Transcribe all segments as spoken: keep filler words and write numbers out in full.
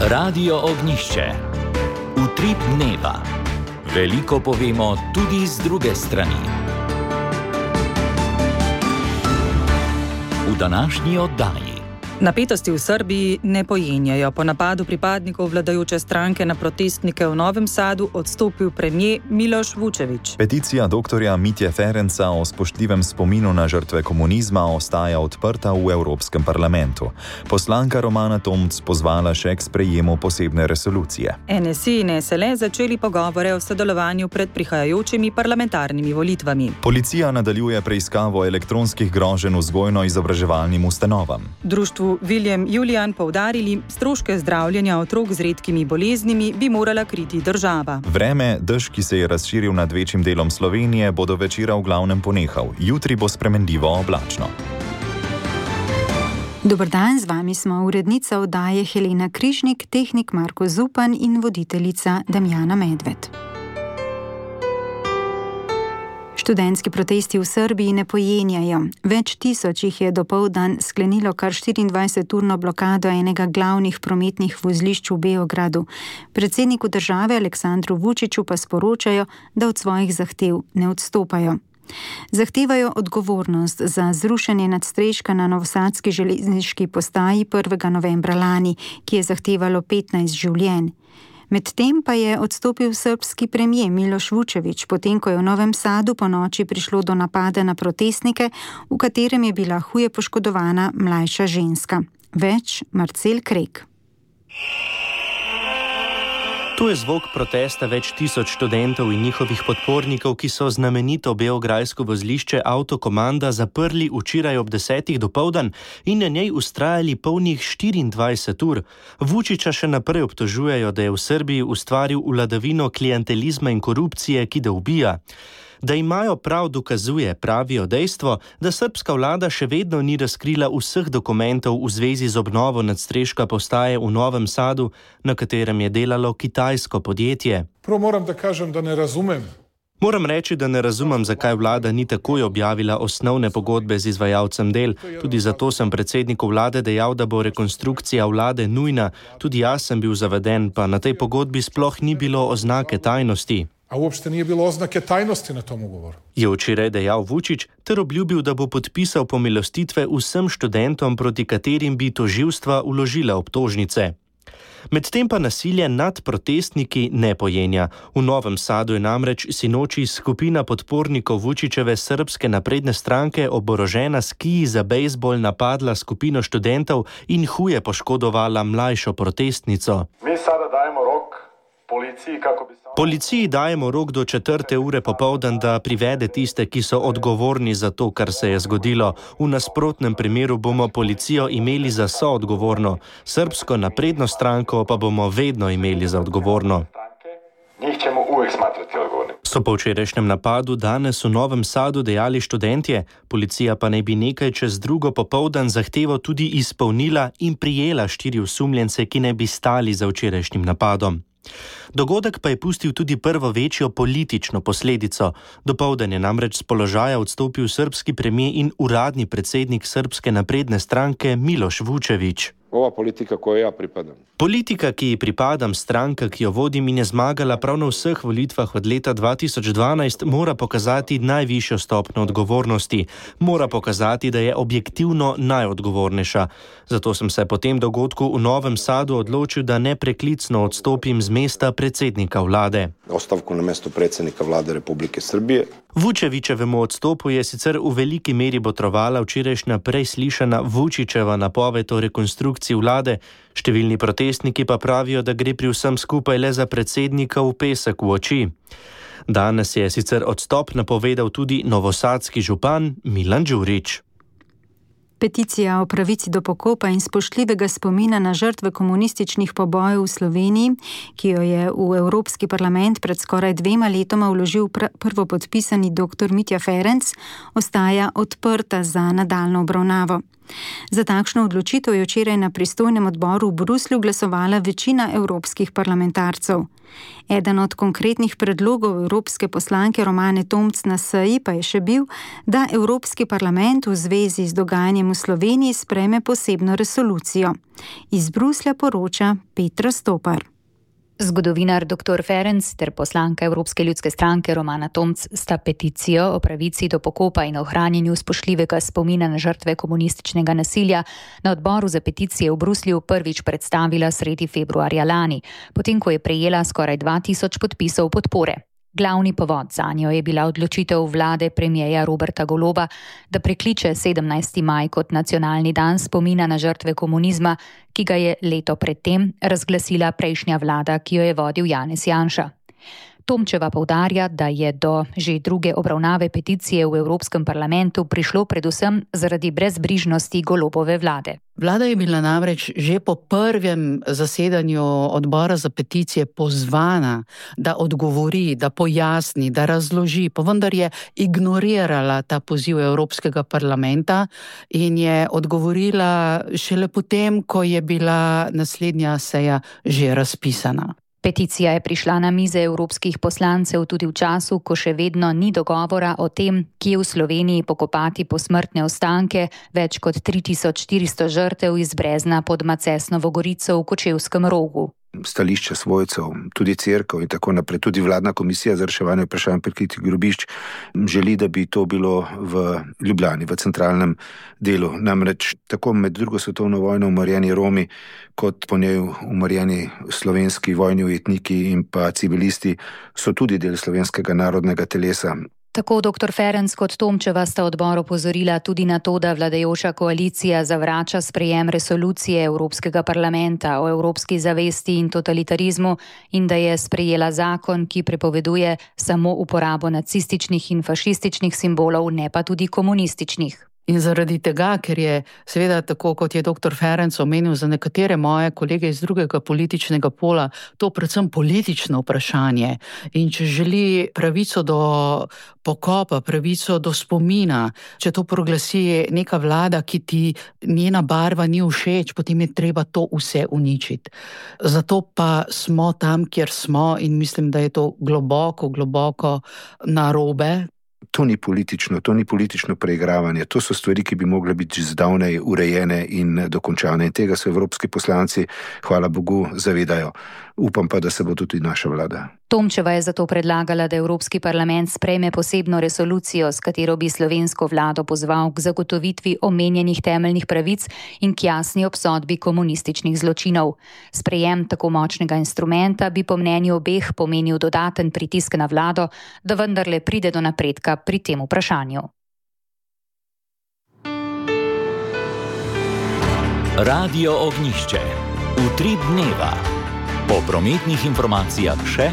Radio Ognišče. Utrip dneva. Veliko povemo tudi z druge strani. V današnji oddaji. Napetosti v Srbiji ne pojenjajo. Po napadu pripadnikov vladajoče stranke na protestnike v Novem Sadu odstopil premier Miloš Vučević. Peticija doktorja Mitje Ferenca o spoštljivem spominu na žrtve komunizma ostaja odprta v Evropskem parlamentu. Poslanka Romana Tomc pozvala še k sprejemu posebne resolucije. N S I in S L začeli pogovore o sodelovanju pred prihajajočimi parlamentarnimi volitvami. Policija nadaljuje preiskavo elektronskih groženj vzgojno-izobraževalnim ustanovam. Društvu William Julian poudarili, stroške zdravljenja otrok z redkimi boleznimi bi morala kriti država. Vreme, dež, ki se je razširil nad večjim delom Slovenije, bo do večera v glavnem ponehal. Jutri bo spremenljivo oblačno. Dober dan, z vami smo urednica oddaje Helena Križnik, tehnik Marko Zupan in voditeljica Damjana Medved. Študentski protesti v Srbiji ne pojenjajo. Več tisoč jih je dopoldan sklenilo kar štiriindvajseturno blokado enega glavnih prometnih vozlišč v Beogradu. Predsedniku države Aleksandru Vučiću pa sporočajo, da od svojih zahtev ne odstopajo. Zahtevajo odgovornost za zrušenje nadstreška na novosadski železniški postaji prvega novembra lani, ki je zahtevalo petnajst življenj. Medtem pa je odstopil srbski premier Miloš Vučević, potem ko je v Novem Sadu po noči prišlo do napada na protestnike, v katerem je bila huje poškodovana mlajša ženska. Več Marcel Krek. To je zvok protesta več tisoč študentov in njihovih podpornikov, ki so znamenito beograjsko vozlišče Autokomanda zaprli včeraj ob desetih dopoldan in na njej vztrajali polnih štiriindvajset ur. Vučića še naprej obtožujejo, da je v Srbiji ustvaril vladavino klientelizma in korupcije, ki da ubija. Da imajo prav, dokazuje, pravijo dejstvo, da srbska vlada še vedno ni razkrila vseh dokumentov v zvezi z obnovo nadstreška postaje v Novem Sadu, na katerem je delalo kitajsko podjetje. Prvo moram da kažem, da ne razumem. Moram reči, da ne razumem, zakaj vlada ni takoj objavila osnovne pogodbe z izvajalcem del. Tudi zato sem predsedniku vlade dejal, da bo rekonstrukcija vlade nujna. Tudi jaz sem bil zaveden, pa na tej pogodbi sploh ni bilo oznake tajnosti. A uopšte nije bilo oznake tajnosti na tom ugovoru. Je včeraj dejal Vučić ter obljubil, da bo podpisal pomilostitve vsem študentom, proti katerim bi tožilstva vložila obtožnice. Medtem pa nasilje nad protestniki ne pojenja. V Novem Sadu je namreč sinoči skupina podpornikov Vučićeve srbske napredne stranke oborožena s kiji za bejzbol napadla skupino študentov in huje poškodovala mlajšo protestnico. Mi sada dajemo rok policiji kako bi... Policiji dajemo rok do četrte ure popoldan, da privede tiste, ki so odgovorni za to, kar se je zgodilo. V nasprotnem primeru bomo policijo imeli za soodgovorno. Srbsko napredno stranko pa bomo vedno imeli za odgovorno. Njih ćemo uvijek smatrati odgovorni. So po včerajšnjem napadu danes v Novem Sadu dejali študentje, policija pa naj bi nekaj čez drugo popoldan zahtevo tudi izpolnila in prijela štiri osumljence, ki naj bi stali za včerajšnjim napadom. Dogodek pa je pustil tudi prvo večjo politično posledico. Dopoldan je namreč z položaja odstopil srbski premier in uradni predsednik srbske napredne stranke Miloš Vučević. Ova politika, koju ja pripadam. Politika, ki ji pripadam, stranka, ki jo vodim in je zmagala prav na vseh volitvah od leta dva tisoč dvanajst, mora pokazati najvišjo stopnjo odgovornosti. Mora pokazati, da je objektivno najodgovornejša. Zato sem se po tem dogodku v Novem Sadu odločil, da nepreklicno odstopim z mesta predsednika vlade. Ostavku na mesto predsednika vlade Republike Srbije. Vučevićevemu odstopu je sicer v veliki meri botrovala včerajšnja prej slišana Vučićeva napoved o rekonstrukciji vlade. Številni protestniki pa pravijo, da gre pri vsem skupaj le za predsednika v pesek v oči. Danes je sicer odstop napovedal tudi novosadski župan Milan Đurić. Peticija o pravici do pokopa in spoštljivega spomina na žrtve komunističnih pobojev v Sloveniji, ki jo je v Evropski parlament pred skoraj dvema letoma vložil prvopodpisani doktor Mitja Ferenc, ostaja odprta za nadaljnjo obravnavo. Za takšno odločitev je včeraj na pristojnem odboru v Bruslju glasovala večina evropskih parlamentarcev. Eden od konkretnih predlogov evropske poslanke Romane Tomc na seji pa je še bil, da Evropski parlament v zvezi z dogajanjem v Sloveniji sprejme posebno resolucijo. Iz Bruslja poroča Petra Stopar. Zgodovinar doktor Ferenc ter poslanka Evropske ljudske stranke Romana Tomc sta peticijo o pravici do pokopa in ohranjanju spoštljivega spomina na žrtve komunističnega nasilja na odboru za peticije v Bruslju prvič predstavila sredi februarja lani, potem ko je prejela skoraj dva tisoč podpisov podpore. Glavni povod zanjo je bila odločitev vlade premierja Roberta Goloba, da prekliče sedemnajsti maj kot nacionalni dan spomina na žrtve komunizma, ki ga je leto predtem razglasila prejšnja vlada, ki jo je vodil Janez Janša. Tomčeva poudarja, da je do že druge obravnave peticije v Evropskem parlamentu prišlo predvsem zaradi brezbrižnosti Golobove vlade. Vlada je bila namreč že po prvem zasedanju odbora za peticije pozvana, da odgovori, da pojasni, da razloži, pa vendar je ignorirala ta poziv Evropskega parlamenta in je odgovorila šele potem, ko je bila naslednja seja že razpisana. Peticija je prišla na mize evropskih poslancev tudi v času, ko še vedno ni dogovora o tem, kje v Sloveniji pokopati posmrtne ostanke več kot tri tisoč štiristo žrtev iz Brezna pod Macesnovo Gorico v Kočevskem Rogu. Stališče svojcev, tudi cerkev in tako naprej, tudi vladna komisija za reševanje vprašanj prikritih grobišč želi, da bi to bilo v Ljubljani, v centralnem delu. Namreč tako med drugo svetovno vojno umorjeni Romi, kot po njej umorjeni slovenski vojni ujetniki in pa civilisti so tudi del slovenskega narodnega telesa. Tako doktor Ferenc kot Tomčeva sta odbor opozorila tudi na to, da vladajoča koalicija zavrača sprejem resolucije Evropskega parlamenta o evropski zavesti in totalitarizmu in da je sprejela zakon, ki prepoveduje samo uporabo nacističnih in fašističnih simbolov, ne pa tudi komunističnih. In zaradi tega, ker je seveda tako, kot je doktor Ferenc omenil, za nekatere moje kolege iz drugega političnega pola, to predvsem politično vprašanje. In če želi pravico do pokopa, pravico do spomina, če to proglasi neka vlada, ki ti njena barva ni všeč, potem je treba to vse uničiti. Zato pa smo tam, kjer smo in mislim, da je to globoko, globoko narobe. To ni politično, to ni politično preigravanje, to so stvari, ki bi mogle biti že zdavnej urejene in dokončane. In tega se evropski poslanci, hvala Bogu, zavedajo. Upam pa, da se bo tudi naša vlada. Tomčeva je zato predlagala, da Evropski parlament sprejme posebno resolucijo, s katero bi slovensko vlado pozval k zagotovitvi omenjenih temeljnih pravic in k jasni obsodbi komunističnih zločinov. Sprejem tako močnega instrumenta bi po mnenju obeh pomenil dodaten pritisk na vlado, da vendarle pride do napredka pri tem vprašanju. Radio Ognjišče. Utrip dneva. Po prometnih informacijah še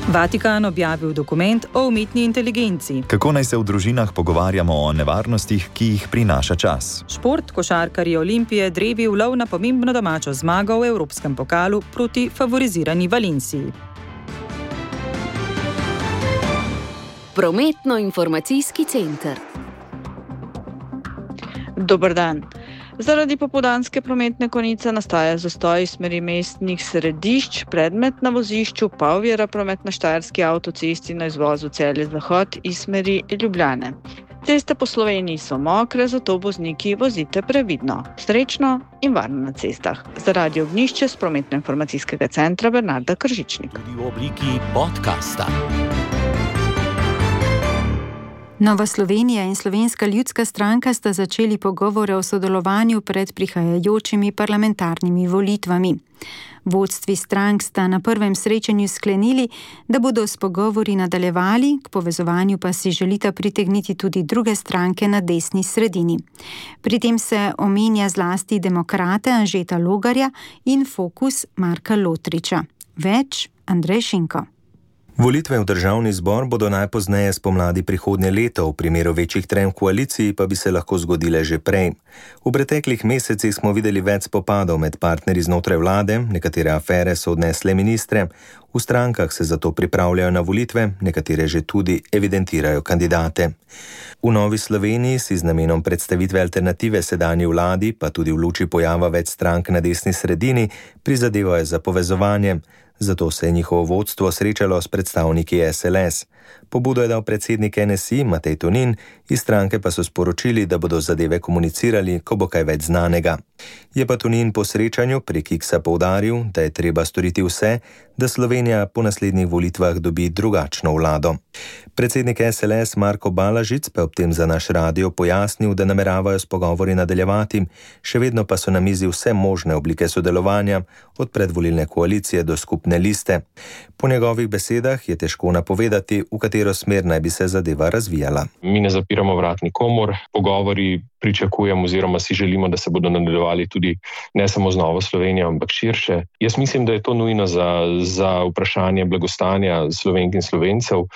Vatikan objavil dokument o umetni inteligenci. Kako naj se v družinah pogovarjamo o nevarnostih, ki jih prinaša čas? Šport, košarkarji Olimpije drevi v lov na pomembno domačo zmago v Evropskem pokalu proti favorizirani Valenciji. Prometno-informacijski center. Dober dan. Zaradi popoldanske prometne konice nastaja zastoj iz smeri mestnih središč, predmet na vozišču pa ovira promet na Štajerski avtocesti na izvozu Celje-Zahod iz smeri Ljubljane. Ceste po Sloveniji so mokre, zato vozniki vozite previdno. Srečno in varno na cestah. Za Radio Ognjišče z prometno-informacijskega centra Bernarda Kržičnik. Tudi v obliki podcasta. Nova Slovenija in Slovenska ljudska stranka sta začeli pogovore o sodelovanju pred prihajajočimi parlamentarnimi volitvami. Vodstvi strank sta na prvem srečanju sklenili, da bodo s pogovori nadaljevali, k povezovanju pa si želita pritegniti tudi druge stranke na desni sredini. Pri tem se omenja zlasti demokrate Anžeta Logarja in Fokus Marka Lotriča. Več Andrej Šinko. Volitve v državni zbor bodo najpozneje spomladi prihodnje leto, v primeru večjih trenj v koaliciji pa bi se lahko zgodile že prej. V preteklih mesecih smo videli več spopadov med partnerji znotraj vlade, nekatere afere so odnesle ministre, V strankah se zato pripravljajo na volitve, nekatere že tudi evidentirajo kandidate. V Novi Sloveniji si z namenom predstavitve alternative sedanji vladi, pa tudi v luči pojava več strank na desni sredini, prizadevajo za povezovanje. Zato se je njihovo vodstvo srečalo s predstavniki S L S. Pobudo je dal predsednik N S I Matej Tonin, iz stranke pa so sporočili, da bodo zadeve komunicirali, ko bo kaj več znanega. Je pa Tonin po srečanju prek X-a poudaril, da je treba storiti vse, da Slovenija po naslednjih volitvah dobi drugačno vlado. Predsednik S L S Marko Balažic pa ob tem za naš radio pojasnil, da nameravajo s pogovori nadaljevati, še vedno pa so na mizi vse možne oblike sodelovanja, od predvolilne koalicije do skupne liste. Po njegovih besedah je težko napovedati, v katero smer naj bi se zadeva razvijala. Mi ne zapiramo vrat nikomur, pogovori pričakujemo oziroma si želimo, da se bodo nadaljevali tudi ne samo z Novo Slovenijo, ampak širše. Jaz mislim, da je to nujno za, za vprašanje blagostanja Slovenk in Slovencev. Uh,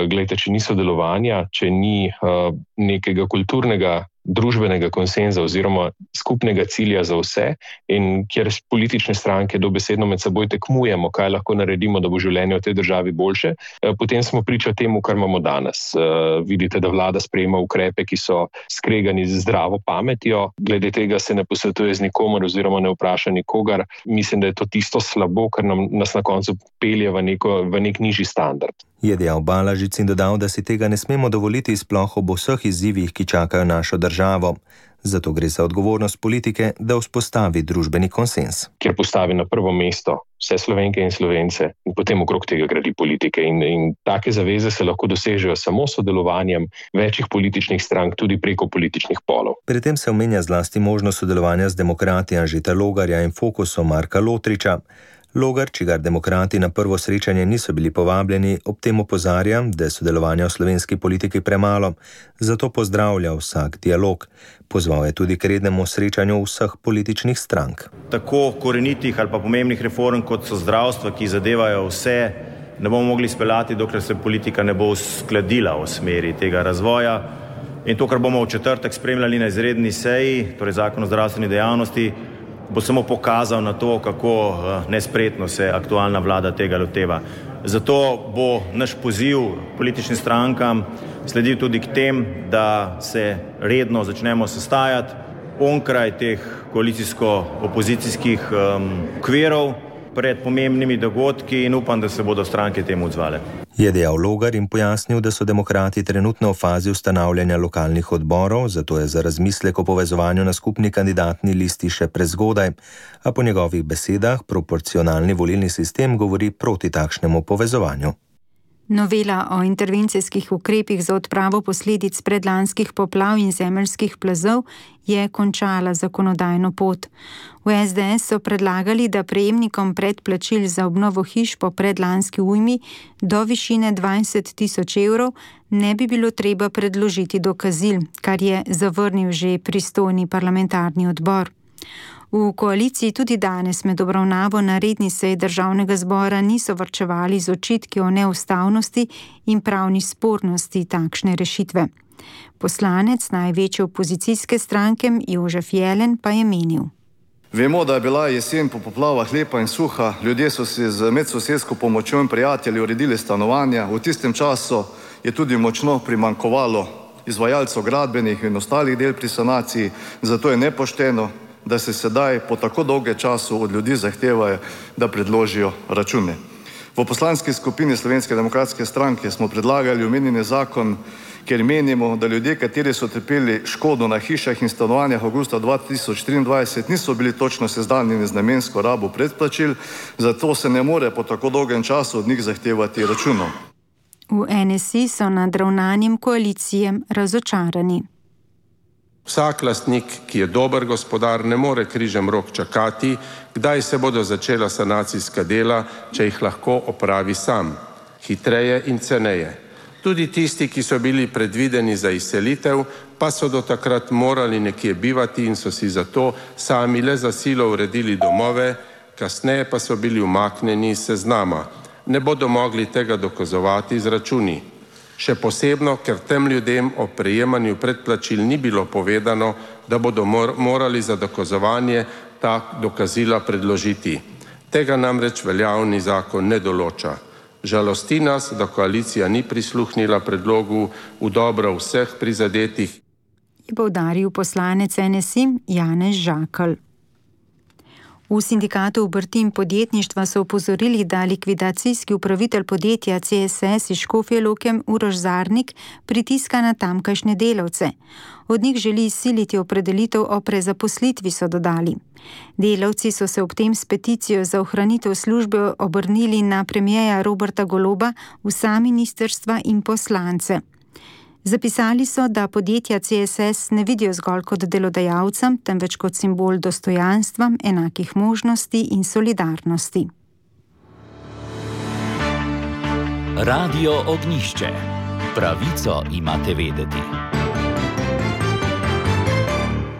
glejte, če ni sodelovanja, če ni uh, nekega kulturnega družbenega konsenza oziroma skupnega cilja za vse in kjer politične stranke dobesedno med seboj tekmujemo, kaj lahko naredimo, da bo življenje v tej državi boljše, potem smo priča temu, kar imamo danes. Vidite, da vlada sprejema ukrepe, ki so skregani z zdravo pametjo, glede tega se ne posvetuje z nikomer oziroma ne vpraša nikogar. Mislim, da je to tisto slabo, kar nam, nas na koncu pelje v, neko, v nek nižji standard. Je dejal Balažic in dodal, da si tega ne smemo dovoliti sploh ob vseh izzivih, ki čakajo našo državo. Zato gre za odgovornost politike, da vzpostavi družbeni konsens. Kjer postavi na prvo mesto vse Slovenke in Slovence in potem okrog tega gradi politike. In, in take zaveze se lahko dosežejo samo sodelovanjem večjih političnih strank, tudi preko političnih polov. Pri tem se omenja zlasti možnost sodelovanja z demokrati Anžeta Logarja in Fokusom Marka Lotriča. Logar, čigar demokrati na prvo srečanje niso bili povabljeni, ob tem opozarja, da je sodelovanja v slovenski politiki premalo, zato pozdravlja vsak dialog. Pozval je tudi k rednemu srečanju vseh političnih strank. Tako korenitih ali pa pomembnih reform, kot so zdravstva, ki zadevajo vse, ne bomo mogli speljati, dokler se politika ne bo uskladila v smeri tega razvoja. In to, kar bomo v četrtek spremljali na izredni seji, torej zakon o zdravstveni dejavnosti, bo samo pokazal na to, kako nespretno se aktualna vlada tega loteva. Zato bo naš poziv političnim strankam sledil tudi k tem, da se redno začnemo sestajati onkraj teh koalicijsko-opozicijskih um, okvirov pred pomembnimi dogodki in upam, da se bodo stranke temu odzvale. Je dejal Logar in pojasnil, da so demokrati trenutno v fazi ustanavljanja lokalnih odborov, zato je za razmislek o povezovanju na skupni kandidatni listi še prezgodaj, a po njegovih besedah proporcionalni volilni sistem govori proti takšnemu povezovanju. Novela o intervencijskih ukrepih za odpravo posledic predlanskih poplav in zemeljskih plazov je končala zakonodajno pot. V S D S so predlagali, da prejemnikom predplačil za obnovo hiš po predlanski ujmi do višine dvajset tisoč evrov ne bi bilo treba predložiti dokazil, kar je zavrnil že pristojni parlamentarni odbor. V koaliciji tudi danes med obravnavo na redni seji državnega zbora niso varčevali z očitki o neustavnosti in pravni spornosti takšne rešitve. Poslanec največje opozicijske stranke Jožef Jelen pa je menil. Vemo, da je bila jesen po poplavah lepa in suha, ljudje so si z medsosedsko pomočjo in prijatelji uredili stanovanja, v tistem času je tudi močno primanjkovalo izvajalcev gradbenih in ostalih del pri sanaciji, zato je nepošteno, da se sedaj po tako dolge času od ljudi zahtevajo, da predložijo račune. V poslanski skupini Slovenske demokratske stranke smo predlagali omenjeni zakon, ker menimo, da ljudje, kateri so trpeli škodo na hišah in stanovanjah avgusta dva tisoč triindvajset, niso bili točno seznanjeni z namensko rabo predplačil, zato se ne more po tako dolgem času od njih zahtevati računov. V N S I so nad ravnanjem koalicije razočarani. Vsak lastnik, ki je dober gospodar, ne more križem rok čakati, kdaj se bodo začela sanacijska dela, če jih lahko opravi sam, hitreje in ceneje. Tudi tisti, ki so bili predvideni za izselitev, pa so do takrat morali nekje bivati in so si zato sami le za silo uredili domove, kasneje pa so bili umaknjeni iz seznama. Ne bodo mogli tega dokazovati z računi. Še posebno, ker tem ljudem o prejemanju predplačil ni bilo povedano, da bodo mor morali za dokazovanje ta dokazila predložiti. Tega namreč veljavni zakon ne določa. Žalosti nas, da koalicija ni prisluhnila predlogu v dobro vseh prizadetih. Je poudaril poslanec N S I Janez Žakelj. V sindikatu obrti in podjetništva so opozorili, da likvidacijski upravitelj podjetja C S S iz Škofje Loke Uroš Zarnik pritiska na tamkajšnje delavce. Od njih želi izsiliti opredelitev o prezaposlitvi, so dodali. Delavci so se ob tem s peticijo za ohranitev službe obrnili na premierja Roberta Goloba, vsa ministrstva in poslance. Zapisali so, da podjetja C S S ne vidijo zgolj kot delodajalcem, temveč kot simbol dostojanstva, enakih možnosti in solidarnosti. Radio Ognjišče. Pravico imate vedeti.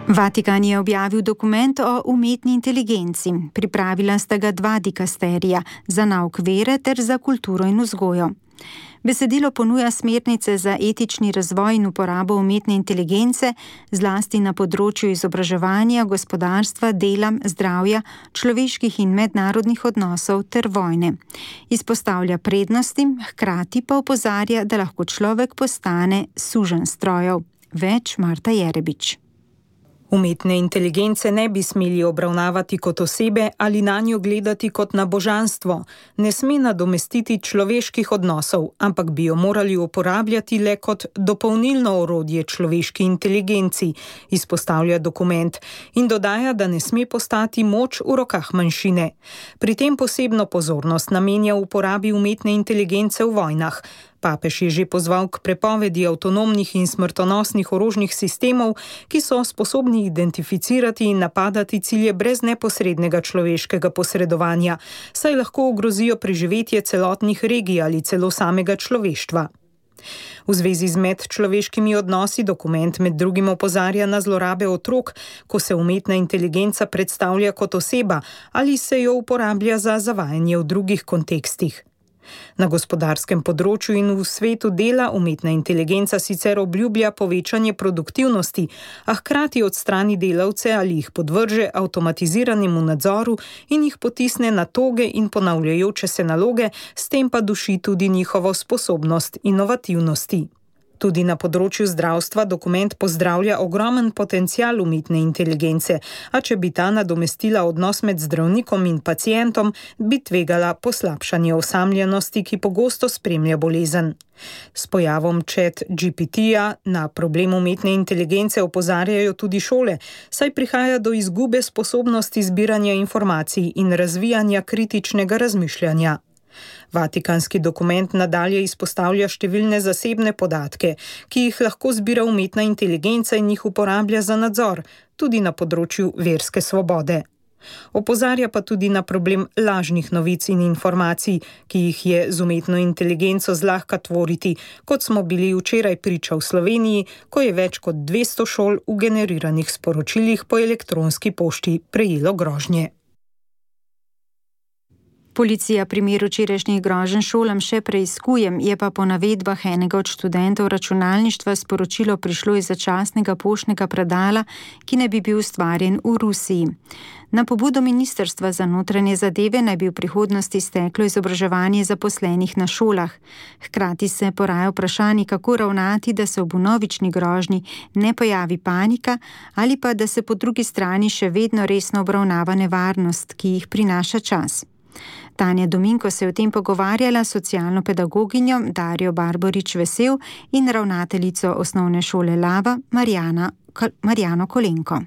Vatikan je objavil dokument o umetni inteligenci. Pripravila sta ga dva dikasterija, za nauk vere ter za kulturo in vzgojo. Besedilo ponuja smernice za etični razvoj in uporabo umetne inteligence, zlasti na področju izobraževanja, gospodarstva, dela, zdravja, človeških in mednarodnih odnosov ter vojne. Izpostavlja prednosti, hkrati pa opozarja, da lahko človek postane suženj strojev. Več Marta Jerebič. Umetne inteligence ne bi smeli obravnavati kot osebe ali na njo gledati kot na božanstvo. Ne sme nadomestiti človeških odnosov, ampak bi jo morali uporabljati le kot dopolnilno orodje človeški inteligenci, izpostavlja dokument in dodaja, da ne sme postati moč v rokah manjšine. Pri tem posebno pozornost namenja uporabi umetne inteligence v vojnah. Papež je že pozval k prepovedi avtonomnih in smrtonosnih orožnih sistemov, ki so sposobni identificirati in napadati cilje brez neposrednega človeškega posredovanja, saj lahko ogrozijo preživetje celotnih regij ali celo samega človeštva. V zvezi z medčloveškimi odnosi dokument med drugim opozarja na zlorabe otrok, ko se umetna inteligenca predstavlja kot oseba ali se jo uporablja za zavajanje v drugih kontekstih. Na gospodarskem področju in v svetu dela umetna inteligenca sicer obljublja povečanje produktivnosti, a hkrati odstrani delavce ali jih podvrže avtomatiziranemu nadzoru in jih potisne na toge in ponavljajoče se naloge, s tem pa duši tudi njihovo sposobnost inovativnosti. Tudi na področju zdravstva dokument pozdravlja ogromen potencial umetne inteligence, a če bi ta nadomestila odnos med zdravnikom in pacientom, bi tvegala poslabšanje osamljenosti, ki pogosto spremlja bolezen. S pojavom Chat G P T-ja na problem umetne inteligence opozarjajo tudi šole, saj prihaja do izgube sposobnosti zbiranja informacij in razvijanja kritičnega razmišljanja. Vatikanski dokument nadalje izpostavlja številne zasebne podatke, ki jih lahko zbira umetna inteligenca in jih uporablja za nadzor, tudi na področju verske svobode. Opozarja pa tudi na problem lažnih novic in informacij, ki jih je z umetno inteligenco zlahka tvoriti, kot smo bili včeraj priča v Sloveniji, ko je več kot dvesto šol v generiranih sporočilih po elektronski pošti prejelo grožnje. Policija primer včerajšnjih groženj šolam še preiskuje, je pa po navedbah enega od študentov računalništva sporočilo prišlo iz začasnega poštnega predala, ki naj bi bil ustvarjen v Rusiji. Na pobudo Ministrstva za notranje zadeve naj bi v prihodnosti steklo izobraževanje zaposlenih na šolah. Hkrati se poraja vprašanje, kako ravnati, da se ob vnovični grožnji ne pojavi panika ali pa da se po drugi strani še vedno resno obravnava nevarnost, ki jih prinaša čas. Tanja Dominko se je o tem pogovarjala s socialno pedagoginjo Darjo Barborič Vesel in ravnateljico osnovne šole Lava Marjana, Marjano Kolenko.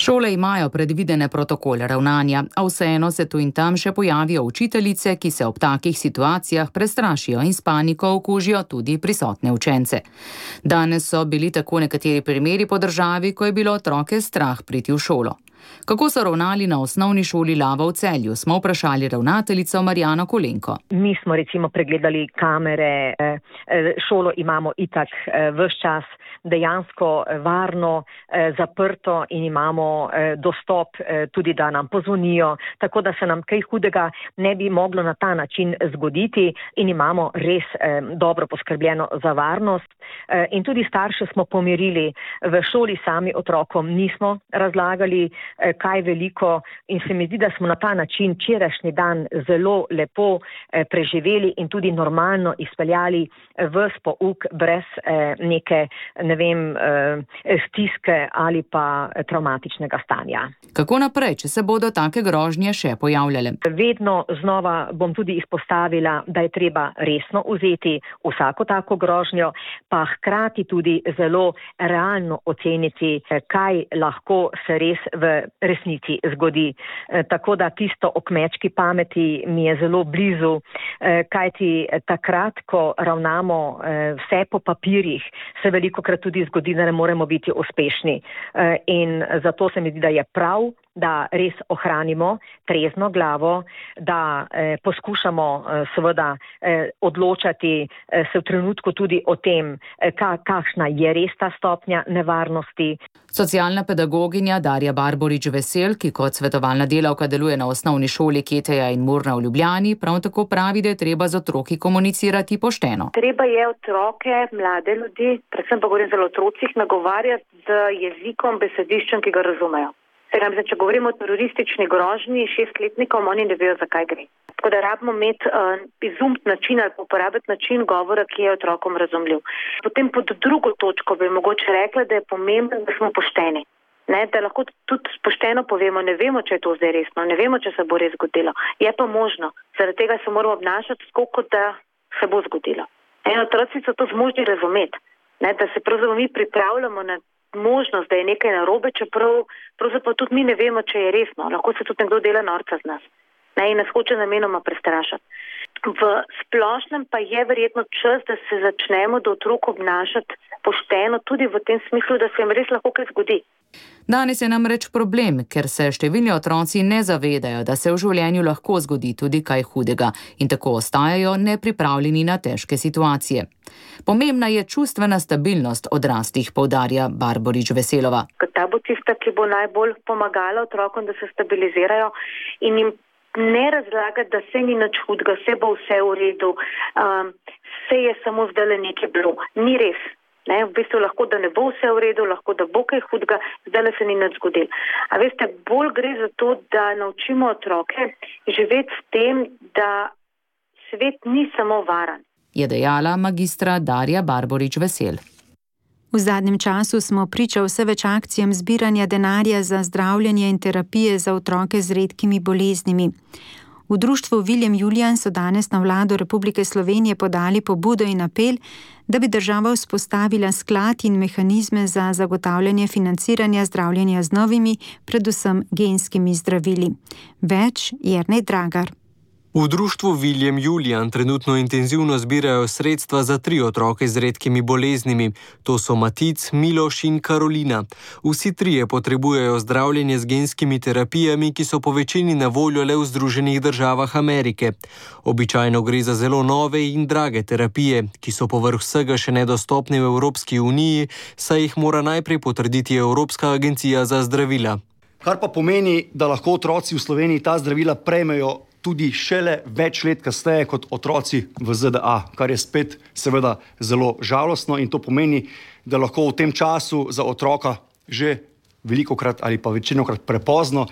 Šole imajo predvidene protokole ravnanja, a vseeno se tu in tam še pojavijo učiteljice, ki se ob takih situacijah prestrašijo in s paniko okužijo tudi prisotne učence. Danes so bili tako nekateri primeri po državi, ko je bilo otroke strah priti v šolo. Kako so ravnali na osnovni šoli Lava v Celju, smo vprašali ravnateljico Marjano Kolenko. Mi smo recimo pregledali kamere, šolo imamo itak ves čas dejansko varno, zaprto in imamo dostop tudi, da nam pozvonijo, tako da se nam kaj hudega ne bi moglo na ta način zgoditi in imamo res dobro poskrbljeno za varnost. In tudi starše smo pomirili, v šoli sami otrokom nismo razlagali kaj veliko in se mi zdi, da smo na ta način včerajšnji dan zelo lepo preživeli in tudi normalno izpeljali v pouk brez neke, ne vem, stiske ali pa traumatičnega stanja. Kako naprej, če se bodo take grožnje še pojavljale? Vedno znova bom tudi izpostavila, da je treba resno vzeti vsako tako grožnjo, pa hkrati tudi zelo realno oceniti, kaj lahko se res v resnici zgodi. Tako da tisto o kmečki pameti mi je zelo blizu, kajti takrat, ko ravnamo vse po papirjih, se velikokrat tudi zgodi, da ne moremo biti uspešni. In zato se mi zdi, da je prav, da res ohranimo trezno glavo, da eh, poskušamo eh, seveda eh, odločati eh, se v trenutku tudi o tem, eh, ka, kakšna je res ta stopnja nevarnosti. Socialna pedagoginja Darja Barborič-Vesel, ki kot svetovalna delavka deluje na osnovni šoli Keteja in Murna v Ljubljani, prav tako pravi, da je treba z otroki komunicirati pošteno. Treba je otroke, mlade ljudi, predvsem pa govorim zelo otrocih, nagovarjati z jezikom, besediščem, ki ga razumejo. Če govorimo o teroristični grožnji šestletnikom, oni ne vejo, zakaj gre. Tako da rabimo imeti uh, izumt način ali uporabiti način govora, ki je otrokom razumljiv. Potem pod drugo točko bi mogoče rekla, da je pomembno, da smo pošteni. Ne, da lahko tudi pošteno povemo, ne vemo, če je to zdaj resno, ne vemo, če se bo res zgodilo. Je pa možno. Zaradi tega se moramo obnašati tako, kot da se bo zgodilo. En otroci so to zmožni razumeti, ne, da se pravzaprav mi pripravljamo na možnost, da je nekaj narobe, čeprav pravzaprav tudi mi ne vemo, če je resno. Lahko se tudi nekdo dela norca z nas, ne, in nas hoče namenoma prestrašati. V splošnem pa je verjetno čas, da se začnemo do otrok obnašati pošteno, tudi v tem smislu, da se jim res lahko kaj zgodi. Danes je namreč problem, ker se številni otroci ne zavedajo, da se v življenju lahko zgodi tudi kaj hudega in tako ostajajo nepripravljeni na težke situacije. Pomembna je čustvena stabilnost odraslih, poudarja Barborič-Veselova. Ta bo tista, ki bo najbolj pomagala otrokom, da se stabilizirajo in jim ne razlagati, da se ni nič hudega, se bo vse v redu, um, se je samo zdaj nekaj bilo. Ni res. Ne, v bistvu lahko, da ne bo vse v redu, lahko, da bo kaj hudega, zdaj se ni nič zgodilo. A veste, bolj gre za to, da naučimo otroke živeti s tem, da svet ni samo varen. Je dejala magistra Darja Barborič-Vesel. V zadnjem času smo priča vse več akcijam zbiranja denarja za zdravljenje in terapije za otroke z redkimi boleznimi. V društvu William Julian so danes na vlado Republike Slovenije podali pobudo in apel, da bi država vzpostavila sklad in mehanizme za zagotavljanje financiranja zdravljenja z novimi, predvsem genskimi zdravili. Več Jernej Dragar. V društvu William Julian trenutno intenzivno zbirajo sredstva za tri otroke z redkimi boleznimi. To so Matic, Miloš in Karolina. Vsi trije potrebujejo zdravljenje z genskimi terapijami, ki so po večini na voljo le v Združenih državah Amerike. Običajno gre za zelo nove in drage terapije, ki so povrh vsega še nedostopne v Evropski uniji, saj jih mora najprej potrditi Evropska agencija za zdravila. Kar pa pomeni, da lahko otroci v Sloveniji ta zdravila prejmejo tudi šele več let kasneje kot otroci v Z D A, kar je spet seveda zelo žalostno in to pomeni, da lahko v tem času za otroka že velikokrat ali pa večinokrat prepozno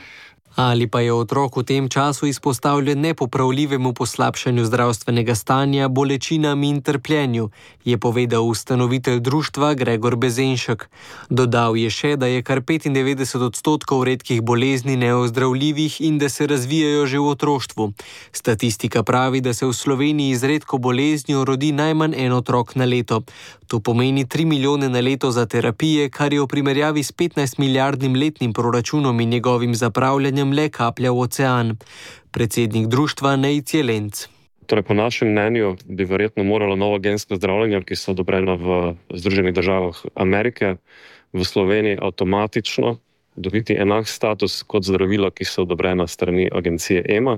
Ali pa je otrok v tem času izpostavljen nepopravljivemu poslabšanju zdravstvenega stanja, bolečinam in trpljenju, je povedal ustanovitelj društva Gregor Bezenšek. Dodal je še, da je kar petindevetdeset odstotkov redkih bolezni neozdravljivih in da se razvijajo že v otroštvu. Statistika pravi, da se v Sloveniji z redko boleznijo rodi najmanj en otrok na leto. To pomeni tri milijone na leto za terapije, kar je v primerjavi s petnajst milijardnim letnim proračunom in njegovim zapravljanjem le kaplja v ocean. Predsednik društva Nejc Jelenc. Torej, po našem mnenju bi verjetno moralo novo gensko zdravljenje, ki so odobrena v Združenih državah Amerike, v Sloveniji avtomatično dobiti enak status kot zdravila, ki so odobrena strani agencije E M A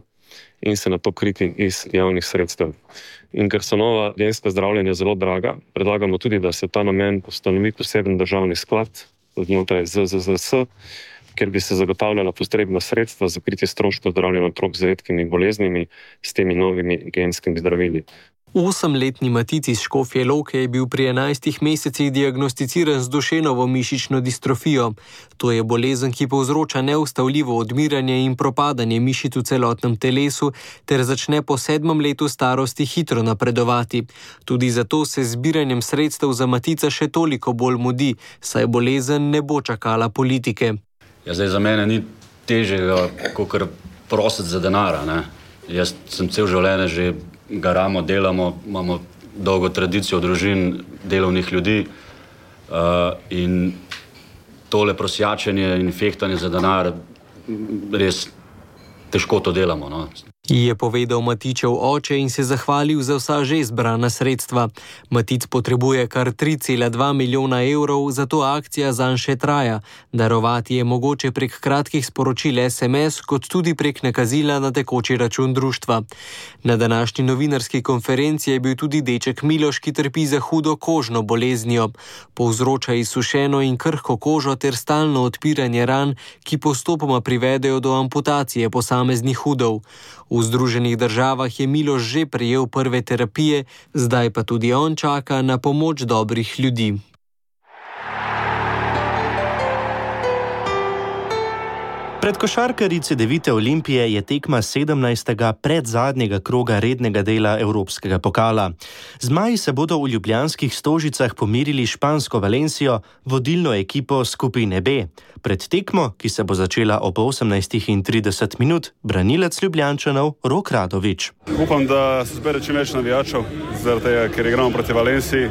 in se na to kriti iz javnih sredstev. In ker so nova genska zdravljenja zelo draga, predlagamo tudi, da se ta namen ustanovi poseben državni sklad znotraj Z Z Z S, ker bi se zagotavljala potrebna sredstva za kritje stroškov zdravljenja otrok z redkimi boleznimi s temi novimi genskimi zdravili. Osemletni Matic iz Škofje Loke je bil pri enajstih mesecih diagnosticiran z Dušenovo mišično distrofijo. To je bolezen, ki povzroča neustavljivo odmiranje in propadanje mišic v celotnem telesu ter začne po sedmem letu starosti hitro napredovati. Tudi zato se z zbiranjem sredstev za Matica še toliko bolj mudi, saj bolezen ne bo čakala politike. Ja, zdaj za mene ni težjega, kakor prositi za denara, ne. Jaz sem cel življenje že garamo, delamo, imamo dolgo tradicijo družin, delovnih ljudi uh, in tole prosjačenje in fehtanje za denar, res težko to delamo, no. Je povedal Matičev oče in se zahvalil za vsa že zbrana sredstva. Matic potrebuje kar tri cela dva milijona evrov, zato akcija zanj še traja. Darovati je mogoče prek kratkih sporočil es em es, kot tudi prek nakazila na tekoči račun društva. Na današnji novinarski konferenci je bil tudi deček Miloš, ki trpi za hudo kožno boleznijo. Povzroča izsušeno in krhko kožo ter stalno odpiranje ran, ki postopoma privedejo do amputacije posameznih udov. V Združenih državah je Miloš že prejel prve terapije, zdaj pa tudi on čaka na pomoč dobrih ljudi. Pred košarkarji Cedevite Olimpije je tekma sedemnajstega predzadnjega kroga rednega dela Evropskega pokala. Zmaji se bodo v ljubljanskih Stožicah pomirili špansko Valencijo, vodilno ekipo skupine B. Pred tekmo, ki se bo začela ob osemnajstih in trideset minut, branilec Ljubljančanov Rok Radović. Upam, da se zbere čim več navijačev, zaradi tega, ker igramo proti Valenciji.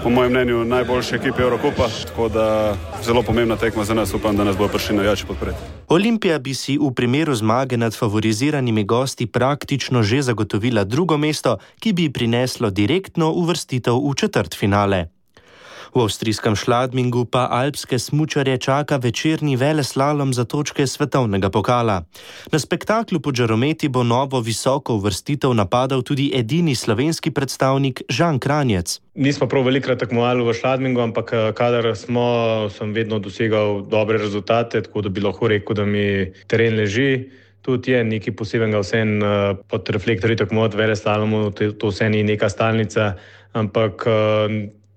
Po mojem mnenju najboljše ekipe Eurokupa, tako da zelo pomembna tekma za nas, upam, da nas bo prišli navijači podpreti. Olimpija bi si v primeru zmage nad favoriziranimi gosti praktično že zagotovila drugo mesto, ki bi prineslo direktno uvrstitev v četrtfinale. V avstrijskem Schladmingu pa alpske smučarje čaka večerni veleslalom za točke svetovnega pokala. Na spektaklu pod žarometi bo novo visoko uvrstitev napadal tudi edini slovenski predstavnik Žan Kranjec. Nismo prav velikrat tekmovali v Schladmingu, ampak kadar smo, sem vedno dosegal dobre rezultate, tako da bi lahko rekel, da mi teren leži. Tudi je nekaj posebnega vsem pod reflektorji tekmovati v veleslalomu, to vse ni neka stalnica, ampak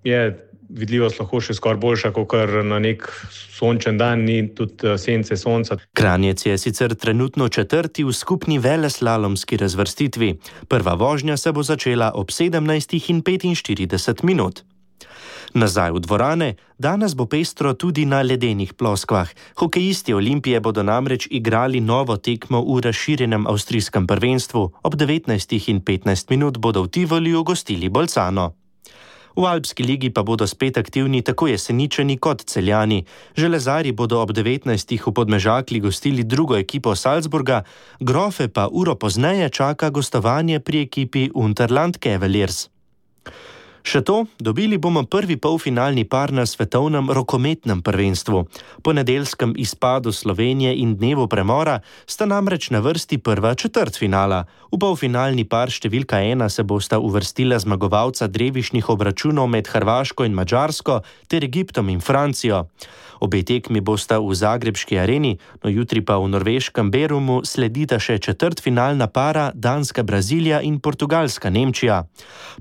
je vidljivost lahko še skoraj boljša, kot na nek sončen dan, ni tudi sence sonca. Kranjec je sicer trenutno četrti v skupni veleslalomski razvrstitvi. Prva vožnja se bo začela ob sedemnajstih in petinštirideset minut. Nazaj v dvorane, danes bo pestro tudi na ledenih ploskvah. Hokejisti Olimpije bodo namreč igrali novo tekmo v razširjenem avstrijskem prvenstvu. Ob devetnajstih in petnajst minut bodo v Tivoliju gostili Bolcano. V Alpski ligi pa bodo spet aktivni tako Jeseničani kot Celjani. Železarji bodo ob devetnajstih v Podmežakli gostili drugo ekipo Salzburga, Grofe pa uro pozneje čaka gostovanje pri ekipi Unterland Cavaliers. Še to, dobili bomo prvi polfinalni par na svetovnem rokometnem prvenstvu. Po nedeljskem izpadu Slovenije in dnevu premora sta namreč na vrsti prva četrtfinala. V polfinalni par številka ena se bosta uvrstila zmagovalca drevišnih obračunov med Hrvaško in Madžarsko ter Egiptom in Francijo. Obe tekmi bosta v zagrebški areni, no jutri pa v norveškem Berumu sledita še četrtfinalna para Danska-Brazilija in Portugalska-Nemčija.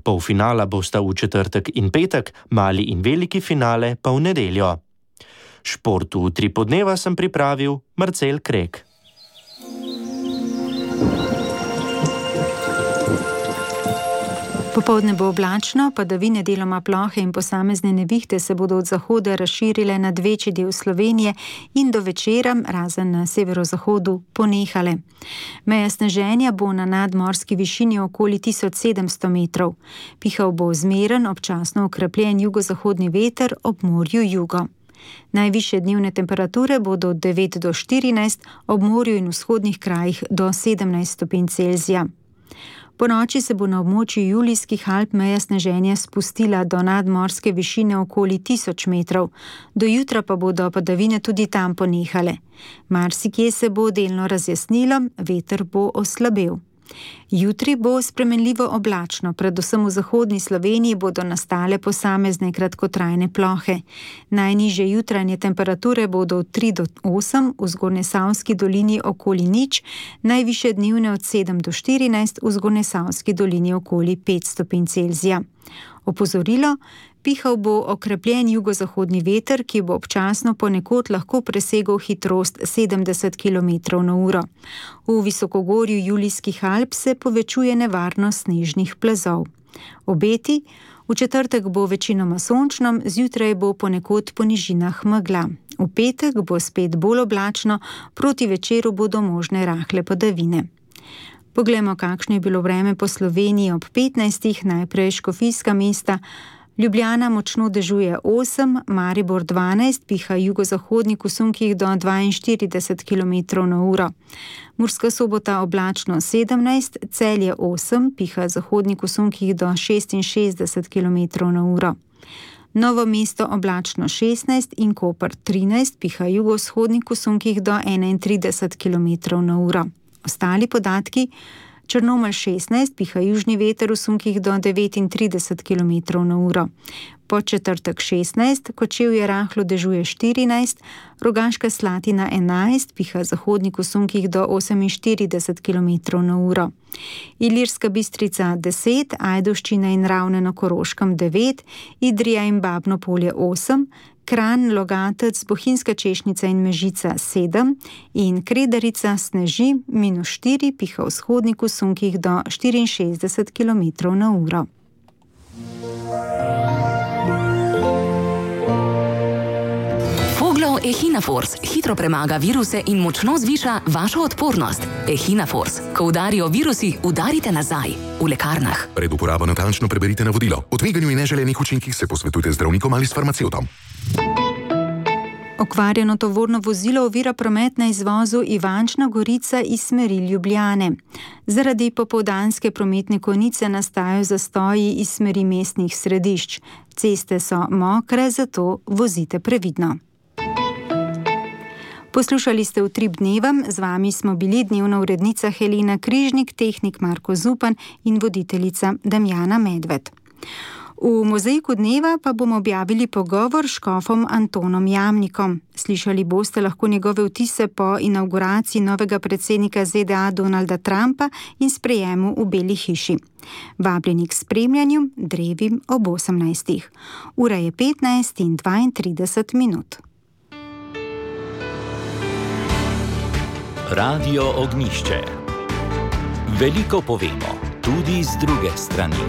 Polfinala bosta v četrtek in petek, mali in veliki finale pa v nedeljo. Športu v tri podneva sem pripravil Marcel Krek. Popoldne bo oblačno, padavine deloma plohe in posamezne nevihte se bodo od zahoda razširile nad večji del Slovenije in do večera, razen na severozahodu, ponehale. Meja sneženja bo na nadmorski višini okoli tisoč sedemsto metrov. Pihal bo zmeren, občasno okrepljen jugozahodni veter, ob morju jugo. Najvišje dnevne temperature bodo od devet do štirinajst, ob morju in vzhodnih krajih do sedemnajst stopinj Celzija. Po noči se bo na območju Julijskih Alp meja sneženja spustila do nadmorske višine okoli tisoč metrov. Do jutra pa bodo padavine tudi tam ponehale. Marsikje se bo delno razjasnilo, veter bo oslabel. Jutri bo spremenljivo oblačno, predvsem v zahodni Sloveniji bodo nastale posamezne kratkotrajne plohe. Najnižje jutranje temperature bodo od tri do osem, v Zgornjesavski dolini okoli nič, najvišje dnevne od sedem do štirinajst, v Zgornjesavski dolini okoli pet stopinj Celzija. Opozorilo: pihal bo okrepljen jugozahodni veter, ki bo občasno ponekod lahko presegel hitrost sedemdeset kilometrov na uro. V visokogorju Julijskih Alp se povečuje nevarnost snežnih plazov. Obeti: v četrtek bo večinoma sončno, zjutraj bo ponekod po nižinah megla. V petek bo spet bolj oblačno, proti večeru bodo možne rahle padavine. Poglejmo, kakšno je bilo vreme po Sloveniji ob petnajstih, najprej Škofijska mesta. Ljubljana močno dežuje osem, Maribor dvanajst, piha jugozahodnik v sunkih do dvainštirideset kilometrov na uro. Murska Sobota oblačno sedemnajst, Celje osem, piha zahodnik v sunkih do šestinšestdeset kilometrov na uro. Novo mesto oblačno šestnajst in Koper trinajst, piha jugovzhodnik v sunkih do enaintrideset kilometrov na uro. Ostali podatki: Črnomelj šestnajst, piha južni veter v sunkih do devetintrideset kilometrov na uro. Podčetrtek šestnajst, Kočevje rahlo dežuje štirinajst, Rogaška Slatina enajst, piha zahodnik v sunkih do oseminštirideset kilometrov na uro. Ilirska Bistrica deset, Ajdovščina in Ravne na Koroškem devet, Idrija in Babno Polje osem, Kranj, Logatec, Bohinjska Češnica in Mežica sedem in Kredarica sneži minus štiri, piha vzhodnik v sunkih do štiriinšestdeset kilometrov na uro. Foglov Echinafors hitro premaga viruse in močno zviša vašo odpornost. Echinafors. Ko udarijo virusi, udarite nazaj. V lekarnah. Pred uporabo natančno preberite navodilo. O tveganju in neželenih učinkih se posvetujte z zdravnikom ali s farmacevtom. Okvarjeno tovorno vozilo ovira promet na izvozu Ivančna Gorica iz smeri Ljubljane. Zaradi popoldanske prometne konice nastajajo zastoji iz smeri mestnih središč. Ceste so mokre, zato vozite previdno. Poslušali ste Utrip dneva, z vami smo bili dnevna urednica Helena Križnik, tehnik Marko Zupan in voditeljica Damjana Medved. V mozaiku dneva pa bomo objavili pogovor s škofom Antonom Jamnikom. Slišali boste lahko njegove vtise po inauguraciji novega predsednika Z D A Donalda Trumpa in sprejemu v Beli hiši. Vabljeni k spremljanju drevi ob osemnajstih. Ura je petnajst in dvaintrideset minut. Radio Ognjišče. Veliko povemo, tudi z druge strani.